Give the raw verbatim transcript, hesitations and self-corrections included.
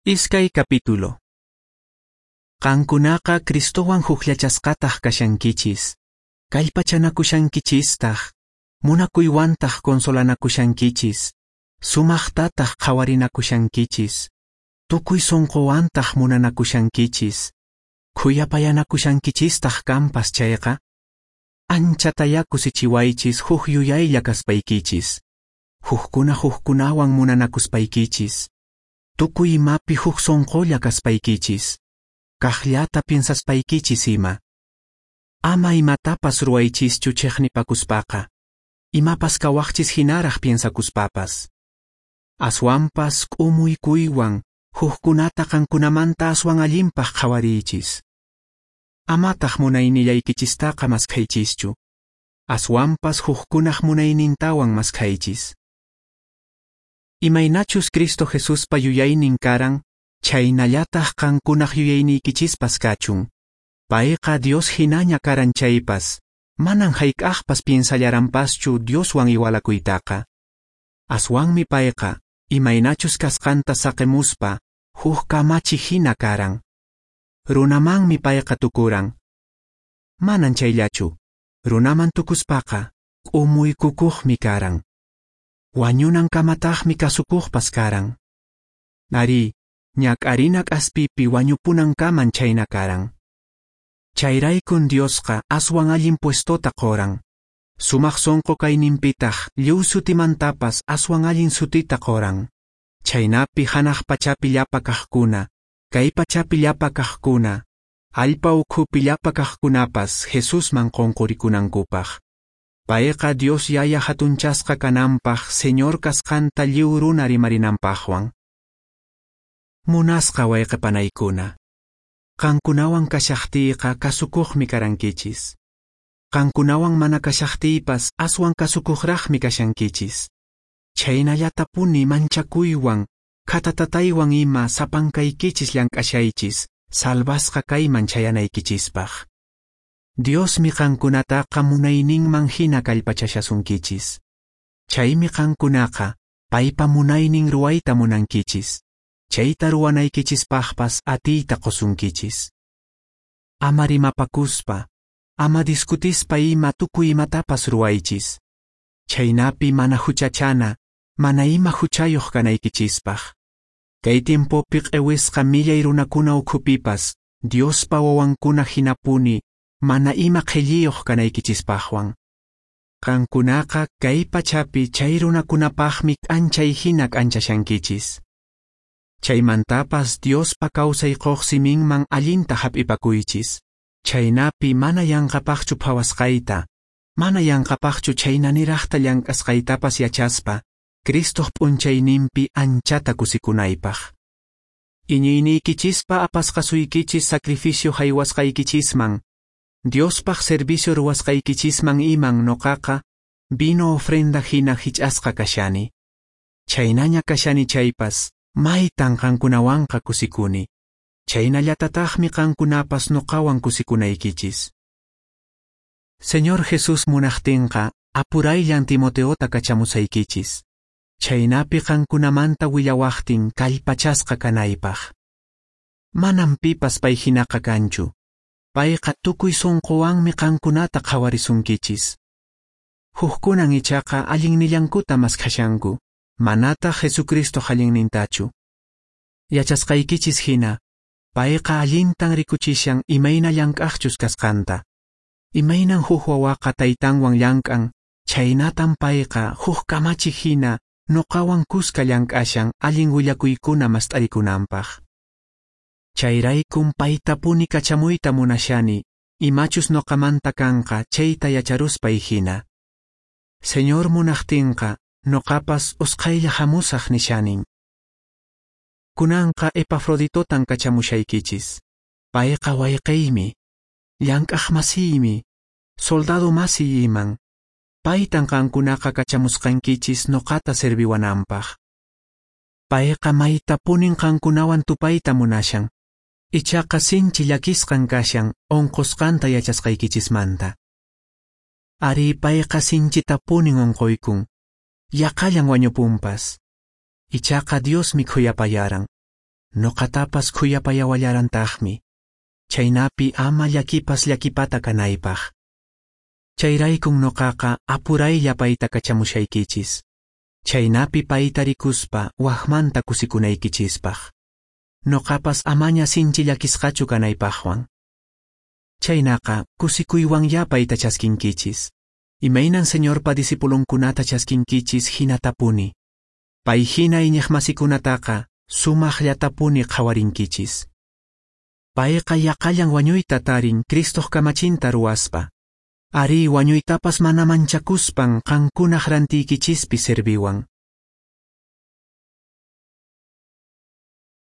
Iskay capítulo. Qankunaqa Cristowan hukllachasqataq kashankichis, kallpachanakushankichistaq, munakuywantaq consolanakushankichis, sumaqtataq qhawarinakushankichis, tukuy sunquwantaq munanakushankichis, khuyapayanakushankichistaq kanpas chayqa, anchatayá kusichiwaychis huk yuyaylla kaspaykichis, hukkuna hukkunawan munanakuspaykichis, tukuy imapi huk sunqulla kaspaykichis, kaqllata piensaspaykichis ima. Ama imatapas ruwaychischu chiqnipakuspaqa, imapas kawaqchis hinaraq piensakuspapas. Aswanpas k'umuykuywan hukkunata qankunamanta aswan allinpaq qhawariychis. Amataq munaynillaykichistaqa maskhaychischu, aswanpas hukkunaq munaynintawan maskhaychis. Imaynachus Cristo Jesuspa yuyaynin karan, chhaynallataq qankunaq yuyayniykichispas kachun. Payqa Dios hinaña karan chaypas, manan hayk'aqpas piensallaranpaschu Dioswan igualakuytaqa. Aswanmi payqa, imaynachus kasqanta saqimuspa, huk kamachi hina karan. Runamanmi payqa tukuran. Manan chayllachu, runaman tukuspaqa, k'umuykukuqmi karan. Wañunankamataqmi kasukuqpas karan. Arí, ñak'arina k'aspipi wañupunankaman chayna karan. Chayraykun Diosqa aswan allin puestota qoran. Sumaq sunqu kayninpitaq lliw sutimantapas aswan allin sutita qoran. Chaynapi hanaq pachapi llapa kaqkuna, kay pachapi llapa kaqkuna, allpa ukhupi llapa kaqkunapas Jesusman qunqurikunankupaq. Payqa Dios Yaya hatunchasqa kananpaq Señor kasqanta lliw runa rimarinanpaqwan. Munasqa wayqipanaykuna, qankunawan kashaqtiyqa kasukuqmi karankichis. Qankunawan mana kashaqtiypas aswan kasukuqraqmi kashankichis. Chhaynallatapuni manchakuywan, khatatataywan ima sapankaykichis llank'ashaychis, salvasqa kayman chayanaykichispaq. Diosmi qankunataqa munayninman hina kallpachashasunkichis. Chaymi qankunaqa paypa munaynin ruwayta munankichis. Chayta ruwanaykichispaqpas atiyta qusunkichis. Ama rimapakuspa, ama discutispa ima tukuy imatapas ruwaychis. Chaynapi mana huchachana, mana ima huchayuq kanaykichispaq. Kay tiempopi q'ewisqa millay runakuna ukhupipas, Diospa wawankuna hinapuni, mana ima qhilliyuq kanaykichispaqwan. Qankunaqa kay pachapi chay runakunapaqmi k'anchay hina k'anchashankichis. Chaymantapas Diospa kawsay quq siminman allinta hap'ipakuychis. Chaynapi mana yanqapaqchu phawasqayta, mana yanqapaqchu chaynaniraqta llank'asqaytapas yachaspa, Cristoq p'unchayninpi anchata kusikunaypaq. Iñiyniykichispa apasqasuykichis sacrificio haywasqaykichisman, Diospaq servicio ruwasqaykichisman iman noqaqa, vino ofrenda hina hich'asqa kashani. Chaynaña kashani chaypas, maytan qankunawanqa kusikuni. Chaynallatataqmi qankunapas noqawan kusikunaykichis. Señor Jesús munaqtinqa, apurayllan Timoteota kachamusaykichis. Chaynapi qankunamanta willawaqtin kallpachasqa kanaypaq. Manam pipas pay hinaqa kanchu. Payqa tukuy sunquwanmi qankunata qhawarisunkichis. Hukkunan ichaqa allinnillankuta maskhashanku, manataq Jesucristo allinnintachu. Yachasqaykichis hina, payqa allintan rikuchishan imayna llank'aqchus kasqanta. Imaynan huk wawaqa taytanwan llank'an, chaynatan payqa huk kamachi hina noqawan kuska llank'ashan allin willakuykuna mast'arikunanpaq. Chayraykun paytapuni kachamuyta munashani, imachus noqamanta kanqa chayta yacharuspay hina. Señor munaqtinqa, noqapas usqhaylla hamusaq nishanin. Kunanqa Epafroditotan kachamushaykichis. Payqa wayqiymi, llank'aq masiymi, soldado masiy iman. Paytan qankunaqa kachamusqankichis noqata serviwananpaq. Payqa maytapunin qankunawan tupayta munashan. Ichaqa sinchi llakisqan kashan unqusqanta yachasqaykichismanta. Ari payqa sinchitapunin unquykun, yaqallan wañupunpas. Ichaqa Diosmi khuyapayaran. Noqatapas khuyapayawallarantaqmi, chhaynapi ama llakipas llakipata kanaypaq. Chayraykun noqaqa apuraylla payta kachamushaykichis, chhaynapi payta rikuspa wajmanta kusikunaykichispaq. Noqapas amaña sinchi llakisqachu kanaypaqwan. Chhaynaqa kusikuywanyá payta chaskinkichis. Imaynan Señorpa discipulonkunata chaskinkichis hinatapuni. Pay hina iñiqmasikunataqa sumaqllatapuni qhawarinkichis. Payqa yaqallan wañuyta tarin Cristoq kamachinta ruwaspa. Arí, wañuytapas mana manchakuspan qankunaq rantiykichispi serviwan.